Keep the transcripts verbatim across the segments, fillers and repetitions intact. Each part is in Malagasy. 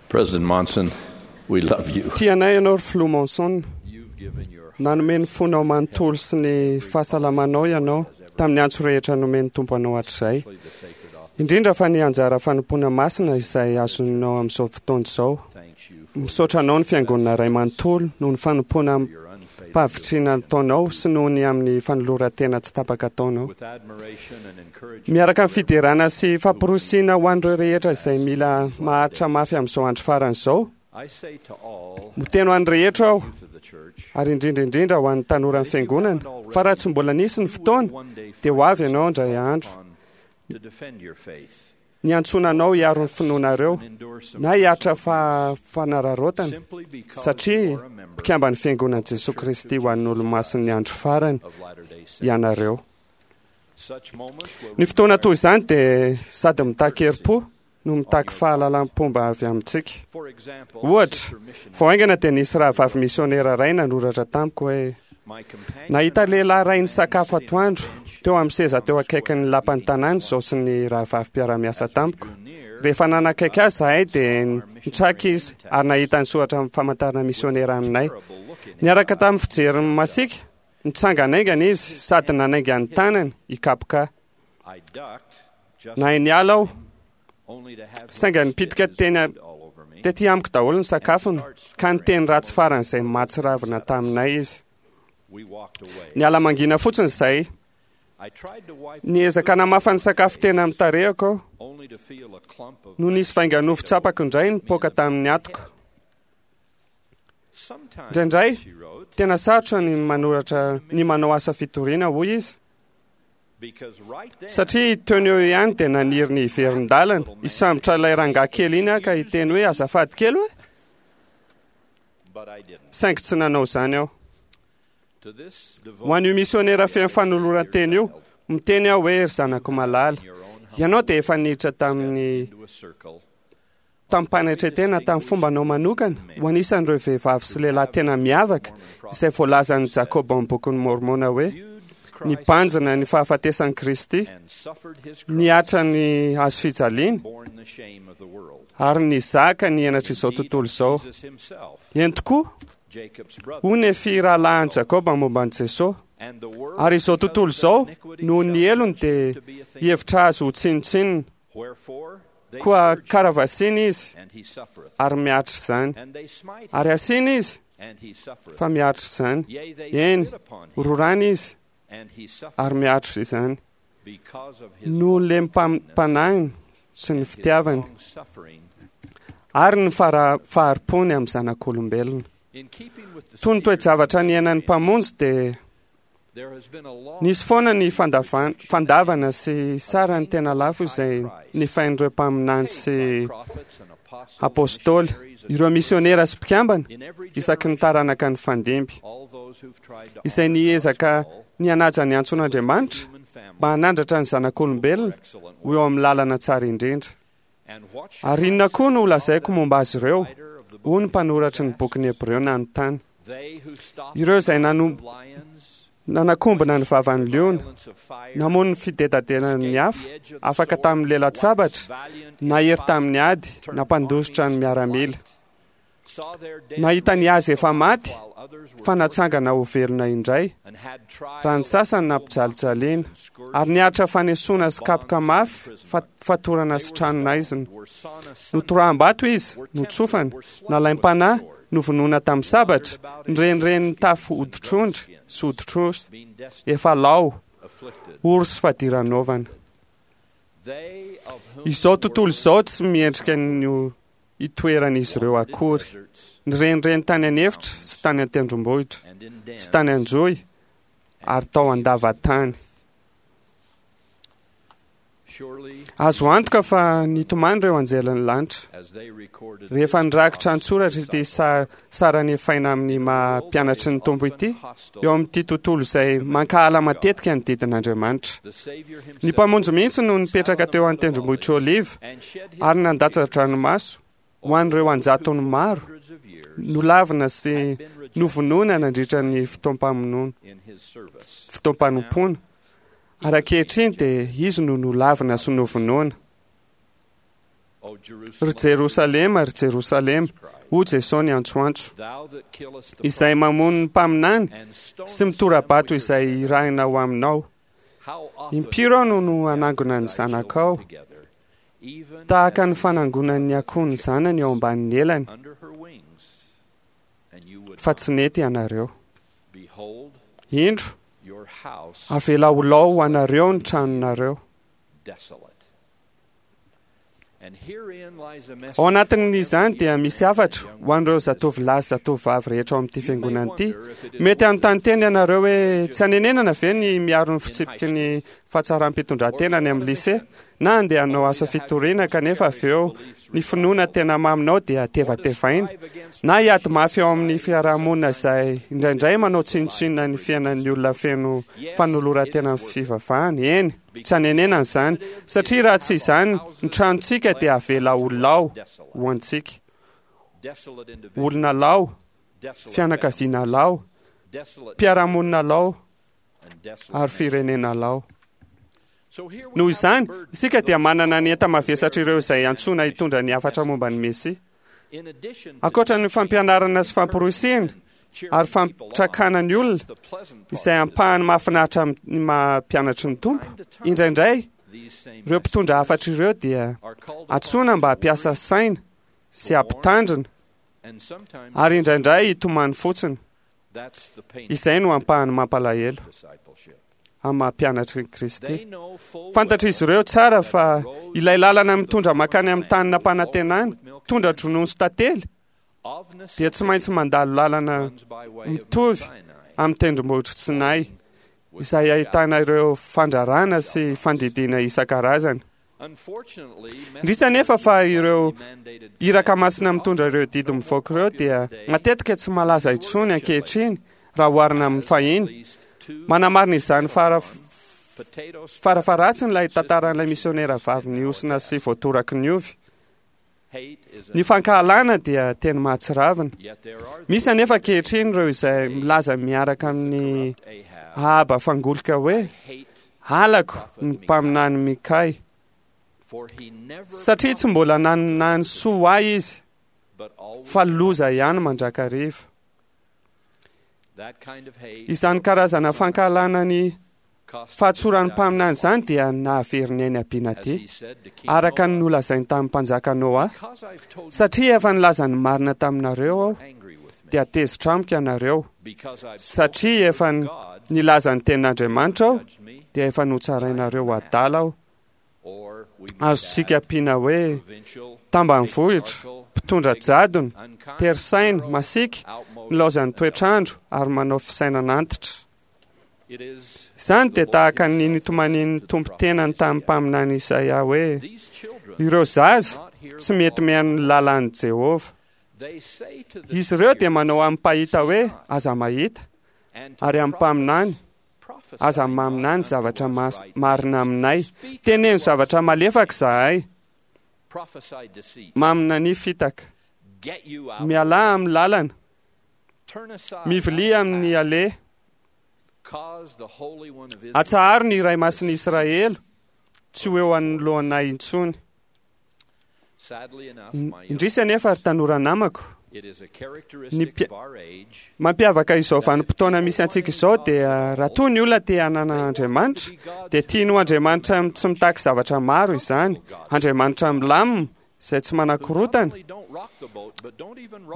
President Monson, we love you. Tianay ianao ry Filoha Monson. You've given your Nanome ny fonao manontolo sy ny fahasalamanao ianao tamin'ny antso rehetra nomen'ny Tompo anao hatrizay. the sacred office. Indrindra fa ny anjara fanompoana masina izay azonao amin'izao fotoana izao. Thanks you for Misaotra anao ny fiangonana iray manontolo noho ny fanompoana your unfailing mpahavitrina ataonao sy noho ny amin'ny fanoloran-tena tsy tapaka ataonao. with admiration and encouragement. Miaraka amin'ny fiderana sy famporosiana ho an'ireo rehetra izay mila maharitra mafy amin'izao andro farany izao. I say to all Miteny ho an'ny rehetra aho youth of the church, ary indrindra indrindra ho an'ny tanoran'ny fiangonana fa raha tsy mbola nisy ny fotoana dia ho avy ianao indray andro on to defend your faith ny antsoina anao hiaro ny finoanareo and endure some na hiaritra fa fanararaotana simply because satria you are a member mpikamban'ny fiangonan'i Jesosy Kristy ho an'ny olomasin'ny andro farany of Latter-day Saints. ianareo. Such moments will Ny fotoana toy izany dia sady mitaky herim-po no mitaky fahalalam-pomba avy amintsika. For example, Ohatra, Sister Missionary, vao haingana dia nisy rahavavy misionera iray nanoratra tamiko hoe my companion nahita and I lehilahy iray sat nisakafo sitting on a atoandro bench teo amin'ny seza teo akaikin'ny lapan'ny tanàna izao sy ny rahavavy mpiara-miasa tamiko. drew near, Rehefa nanakaiky azy zahay dia nitraka izy ary nahita ny soratra amin'ny famantarana misionera aminay. terrible look in his Niaraka tamin'ny fijeriny masiaka, nitsanganaingana izy sady nanainga ny tanany hikapoka. I ducked just Nahay niala aho, only to have him saingy spit nipitika his teny food all over me. tety amiko daholo ny sakafony ka niteny ratsy faran'izay mahatsiravina taminay izy. We walked away. Niala mangina fotsiny izay, I tried to wipe niezaka namafa ny sakafo tena amin'ny tarehako aho only to feel a clump of no nisy vainganofo tsapako indray nipoaka tamin'ny atoko. Sometimes, Indraindray, she wrote, tena sarotra ny manoratra ny manao asa fitoriana, hoy izy. because right then Satria teo no eo ihany dia naniry ny hiverin-dalana hisambotra ilay rangahy kely iny aho ka hiteny hoe azafady kely hoe but I didn't. saingy tsy nanao izany aho. To this Ho an'io misionera feno fanoloran-tena io, miteny aho hoe ry zanako malala, in your own ianao dia efa niditra tamin'ny into a circle tamin'ny-panetretena tamin'ny fombanao manokana ho anisan'ireo vehivavy sy lehilahy tena miavaka izay voalazan'i Jakoba amin'ny bokin'ny Mormona hoe viewed Christ nibanjina ny fahafatesan'i Kristy, and suffered his cross, niatra ny hazo fijaliana borne the shame of the world. ary nizaka ny henatr'izao tontolo izao. Jesus himself, Eny tokoa, Jacob's brother, hoy ny firahalahan'i Jakoba momba an'i Jesosy. and the world Ary izao tontolo izao, because of their noho ny iniquity helony shall dia to be a thing. hihevitra azy ho tsinontsinona. Wherefore they Koa scourge him, karavasiana izy and he suffereth. ary miaritra izany. And they smite him, Ary asiana izy and he suffereth. fa miaritra izany. Yea, they Eny, spit upon him, rorana izy and he suffereth ary miaritra izany. because of his Noho ny lempanahiny sy ny his fitiavany long suffering. ary ny fara- fahari-pony amin'ny zanak'olombelona. In keeping with the Toy ny toe-javatra niainan'ny Mpamonjy dia there has been a long nisy foana ny fandavan- fandavana sy sarany tena lafo izay nifain'ireo mpaminany sy by prophets and apostles, apôstôly, missionaries, and ireo misionera sy mpikambana in every isaky ny generation, taranaka ny fandimby all those who've tried to izay honor niezaka God's call, ny hanaja ny antson'Andriamanitra human family, mba hanandratra ny zanak'olombelona excellent ho eo amin'ny lalana tsara indrindra. And what shall Ary inona koa no lazaiko momba azy ireo? writer of the Hoy ny book mpanoratry ny bokin'ny Hebreo nanontany. they who stop Ireo izay nano- the lions, nanakombona ny vavan'ny liona, violence of fire, namono ny fidedadenan'ny afo, the edge of the afaka sword, tamin'ny lela-tsabatra, valiant in nahery fight, tamin'ny ady, turned nampandositra ny armies to miaramila. flight, saw their dead Nahita ny azy efa maty, while others were fa natsangana ho velona indray, and had trials raha ny sasany nampijalijaliana, and scourged ary niaritra fanesoana sy kapoka mafy, fa- fatorana sy tranonaizina. were sawn asunder, Notoraham-bato izy, notsofana, nalaim-panahy, novonoina tamin'ny sabatra, nirenireny tafo hoditr'ondry sy hoditr'osy, being destitute, efa lao, afflicted. ory sy fadiranovana. They of whom Izao the tontolo world izao tsy miendrika ny itoeran'izy ireo wandered in akory. deserts Nirenireny tany an'efitra sy tany an-tendrombohitra and in sy tany dens an-johy ary tao an-davatany. Surely, Azo antoka fa nitomany ireo anjelin'ny lanitra as they recorded rehefa this nirakitra cost an-tsoratra ity sa- sarany efaina amin'ny maha mpianatry ny Tompo ity eo amin'ity tontolo izay mankahala matetika ny didin'Andriamanitra. the Savior himself Ny Mpamonjy mihitsy no nipetraka teo an-tendrombohitra Oliva and shed his ary nandatsa-dranomaso ho an'ireo anjatony maro hundreds of years nolavina sy had been rejected novonoina nandritra ny fotoam-pamonoana in his service. fotoam-panompoana. Ary ankehitriny dia izy no nolavina sy novonoina. Ry Jerosalema, ry Jerosalema, hoy Jesosy niantsoantso, izay mamono ny mpaminany sy mitora-bato izay irahina ho aminao. Impiry aho no no hanangona ny zanakao, tahaka ny fanangonan'ny akoho ny zanany eo ambanin'ny elany, fa tsy nety ianareo. Indro, avela ho lao ho anareo ny tranonareo. Ao anatin'izany dia misy hafatra ho an'ireo zatovolahy sy zatovovavy rehetra ao amin'ity fiangonana ity. Mety hanontany tena ianareo hoe tsy hanenenana ve ny miaro ny fitsipiky ny fahatsaram-pitondran-tena any amin'ny lycée, na handeha hanao asa fitoriana kanefa avy eo ny finoana tena maminao dia tevatevaina, na hiady mafy ao amin'ny fiarahamonina izay indraindray manao tsinontsinona ny fiainan'ny olona feno fanoloran-tena amin'ny fivavahana. Eny, tsy hanenenana izany, satria raha tsy izany ny tranontsika dia avela ho lao ho antsika. Olona lao, fianakaviana lao, mpiara-monina lao ary firenena lao. Noho izany, isika dia manana ny enta-mavesatr'ireo izay antsoina hitondra ny hafatra momba ny Mesia. Ankoatra ny fampianarana sy famporisihana ary fampitrakana ny olona izay ampahany mahafinaritra amin'ny maha mpianatry ny Tompo, indraindray ireo mpitondra hafatra ireo dia antsoina mba hampiasa saina sy hampitandrina ary indraindray hitomany fotsiny. Izay no ampahany mampalahelo amin'ny maha mpianatry ny Kristy. Fantatr'izy ireo tsara fa ilay lalana mitondra mankany amin'ny tany nampanantenana, tondra-dronono sy tantely, dia tsy maintsy mandalo lalana mitovy amin'ny tendrombohitra Sinay, izay ahitana ireo fandrarana sy fandidiana isan-karazany. Indrisy anefa fa ireo iraka masina mitondra ireo didy mivoaka ireo dia matetika tsy malaza intsony ankehitriny raha oharina amin'ny fahiny. Manamarina izany fara farafaharatsiny ilay tantaran'ilay misionera vavy nihosina sy voatoraky ny ovy. Ny fankahalana dia teny mahatsiravina. Misy anefa ankehitriny ireo izay milaza miaraka amin'ny Ahaba fangolika hoe halako ny mpaminany Mikay, satria tsy mbola nanana ny soa ho ahy izy, fa loza ihany mandrakariva. Izany karazana fankahalana ny fahatsoran'ny mpaminany izany dia nahavery ny ainy Abinadia, araka ny nolazainy tamin'ny mpanjaka Noa, satria efa nilaza ny marina taminareo aho, dia tezitra amiko ianareo, satria efa nilaza ny tenin'Andriamanitra aho, dia efa notsarainareo adala aho. Azontsika ampiana hoe tambanivohitra, mpitondra jadona, tery saina, masiaka, nilaozan'ny toetr'andro ary manao fisainana antitra. Izany dia tahaka ny nitomanian'ny Tompo tenany tamin'ny mpaminany Isaia hoe ireo zaza tsy mety mihaino ny lalàn'i Jehovah. Izy ireo dia manao amin'ny mpahita hoe aza mahita, ary amin'ny mpaminany aza maminany zavatra marina aminay. Teneno zavatra malefaka izahay. Maminania fitaka. Mialà amin'ny lalana. Mivilia amin'ny aleha. Atsaharo ny Iray Masin'i Israely tsy ho eo anoloanay intsony. Indrisy anefa ry tanora namako, ny mampiavaka izao vanim-potoana misy antsika izao dia raha toa ny olona te hanana Andriamanitra, dia tiany ho Andriamanitra tsy mitaky zavatra maro izany, Andriamanitra milamina izay tsy manakorotana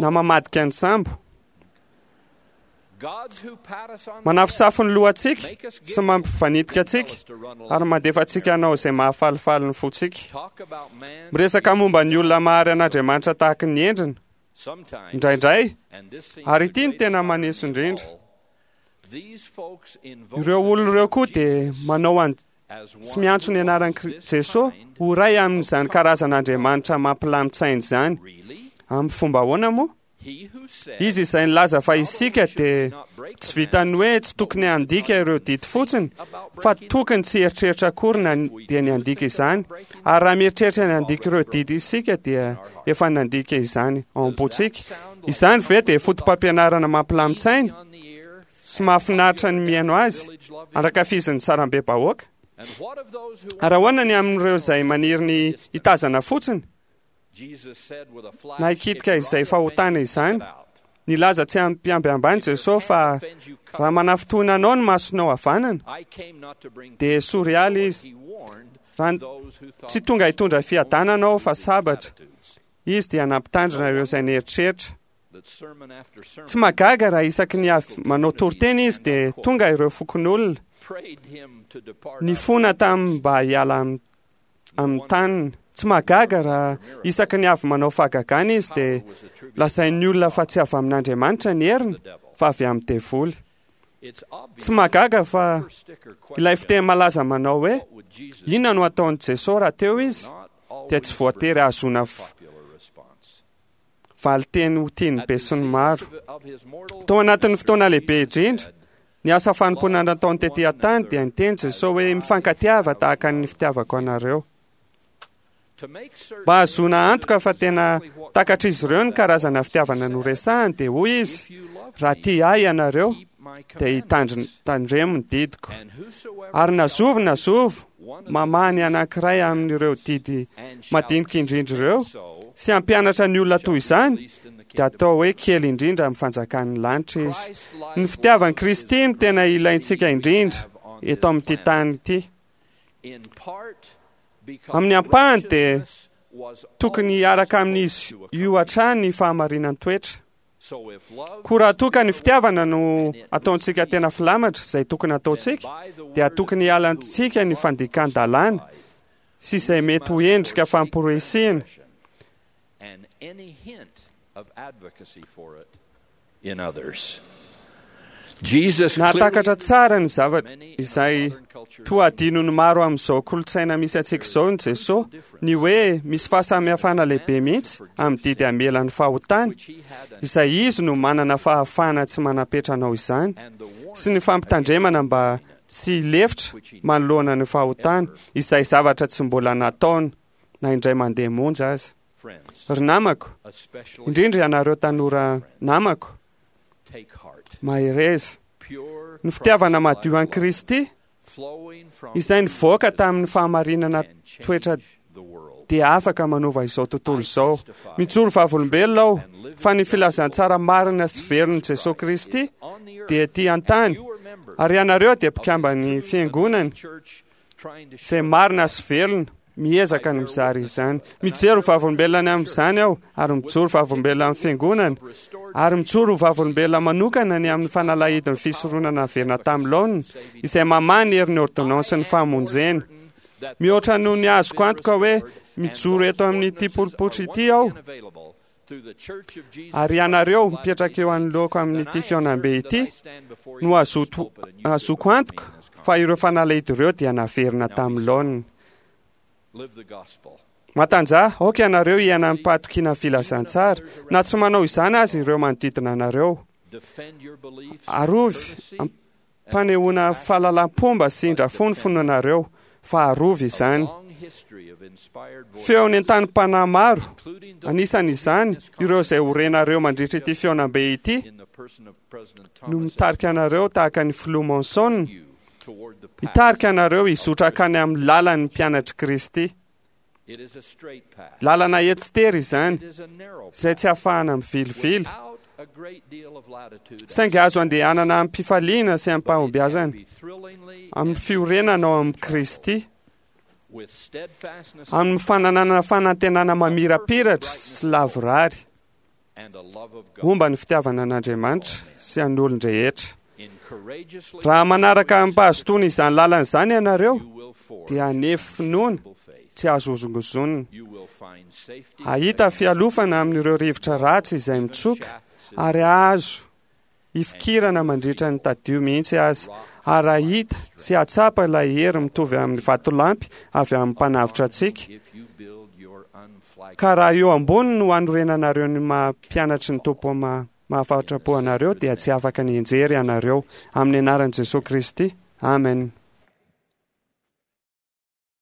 na mamadika ny sambo. Manafosafo ny lohantsika sy mampivanitika antsika ary mandefa antsika hanao izay mahafalifaly ny fontsika. Miresaka momba ny olona mahary an'Andriamanitra tahaka ny endriny indraindray, ary ity no tena maneso indrindra. Ireo olona ireo koa dia manao an tsy miantso ny anaran'i Jesosy ho iray amin'izany karazan'Andriamanitra mampilamin-tsaina izany. Amin'ny fomba ahoana moa? Izy izay nilaza fa isika dia tsy vitan'ny hoe tsy tokony handika ireo didy fotsiny, fa tokony tsy hieritreritra akory na dia ny handika izany. Ary raha mieritreritra ny handika ireo didy isika dia efa nandika izany ao am-pontsika. Izany ve dia foto-pampianarana mampilamin-tsaina sy mahafinaritra ny mihaino azy, andrakafizin'ny sarambe-bahoaka? Ary ahoana ny amin'ireo izay maniry ny hitazana fotsiny Na hikitika izay fahotana izany. Nilaza tsy ampiambiambany Jesosy fa raha manafintohina anao ny masonao havanana, dia esory ala izy. Raha tsy tonga hitondra fiadanana aho fa sabatra. Izy dia nampitandrina ireo izay nieritreritra. Tsy mahagaga raha isaky ny avy manao toriteny izy dia tonga ireo fokonolona nifona taminy mba hiala amin'ny taniny. Tsy mahagaga raha isaky ny avy manao fahagagana izy dia lazain'ny olona fa tsy avy amin'Andriamanitra ny heriny fa avy amin'ny devoly. Tsy mahagaga fa ilay fiteny malaza manao hoe inona no ataon'i Jesosy raha teo izy dia tsy voatery hahazoana valinteny ho tian'ny besinimaro. Tao anatin'ny fotoana lehibe indrindra, ny asa fanompoana nataony tety an-tany dia niteny Jesosy hoe mifankatiava tahaka ny fitiavako anareo. Mba hahazoana antoka fa tena takatr'izy ireo ny karazana fitiavana noresahany dia hoy izy, raha tia ahy ianareo dia hitandremo ny didiko. Ary na zovy na zovy mamaha ny anankiray amin'ireo didy madinika indrindra ireo sy hampianatra ny olona toy izany dia atao hoe kely indrindra amin'ny fanjakan'ny lanitra izy. Ny fitiavan'i Kristy no tena ilaintsika indrindra eto amin'ity tany ity. Amin'ny ampahany dia tokony hiaraka amin'izy io hatrany ny fahamarinan-toetra. Koa raha toa ka ny fitiavana no ataontsika tena filamatra izay tokony ataontsika, dia tokony hialantsika ny fandikan-dalàna sy izay mety ho endrika famporisihina. Nahatakatra tsara ny zavatra izay toa adinon'ny maro amin'izao kolontsaina misy antsika izao ny Jesosy, ny hoe misy fahasamihafana lehibe mihitsy amin'ny didy hamela ny fahotany, izay izy no manana fahafahana tsy manam-petra anao izany, sy ny fampitandremana mba tsy hilefitra manoloana ny fahotany, izay zavatra tsy mbola nataony na indray mandeha monja aza. Ry namako, indrindra ianareo tanora namako, mahereza. Ny fitiavana madio an'i Kristy izay nivoaka tamin'ny fahamarinana toetra dia afaka manova izao tontolo izao. Mijoro vavolombelona aho fa ny filazantsara marina sy velon'i Jesosy Kristy dia ety an-tany, ary ianareo dia mpikamban'ny fiangonany izay marina sy velona, miezaka ny mizara izany. Mijery ho vavolombelona ny amin'izany aho, ary mijoro vavolombelona amin'ny fiangonana, ary mijoro ho vavolombelona manokana ny amin'ny fanalahidin'ny fisoronana averina tamin'ny laoniny, izay mamaha ny herin'ny ordonnance ny famonjena. Mihoatra noho ny azoko antoka hoe mijoro eto amin'ity pulpitra ity aho, ary ianareo mipetraka eo anoloako amin'ity fihaonambe ity no azoto azoko antoka fa ireo fanalahidy ireo dia naverina tamin'ny laoniny. Matanjaha, aoka ianareo hiaina amim-pahatokiana ny filazantsara, na tsy manao izany aza ireo manodidina anareo. Arovy am-panehoana fahalalam-pomba sy indrafo ny finoanareo, fa arovy izany. Feo nentanim-panahy maro, anisan'izany ireo izay ho renareo mandritra ity fihaonambe ity, no mitarika anareo tahaka ny filoha Monson, hitarika anareo hizotra hankany amin'ny lalan'ny mpianatr'i Kristy. Lalana etsitery izany, izay tsy ahafahana mivilivily, saingy azo andehanana amim-pifaliana sy amim-pahombiazana, amin'ny fiorenana ao amin'i Kristy, amin'ny fananana fanantenana mamirapiratra sy lavorary, momba ny fitiavana an'Andriamanitra sy an'olon-drehetra. Raha manaraka amim-pahazotoana izany lalana izany ianareo, dia hanefy finoana tsy azo hozongozonina. Hahita fialofana amin'ireo rivotra ratsy izay mitsoka ary hahazo hifikirana mandritra ny tadio mihitsy aza, ary hahita sy hahatsapa ilay hery mitovy amin'ny vatolampy avy amin'ny mpanavotra antsika. Ka raha eo ambony no hanorenanareo ny maha mpianatry ny Tompo mahafatrapo anareo, dia tsy afaka ny hianjery ianareo. Amin'ny anaran'i Jesosy Kristy. Amen.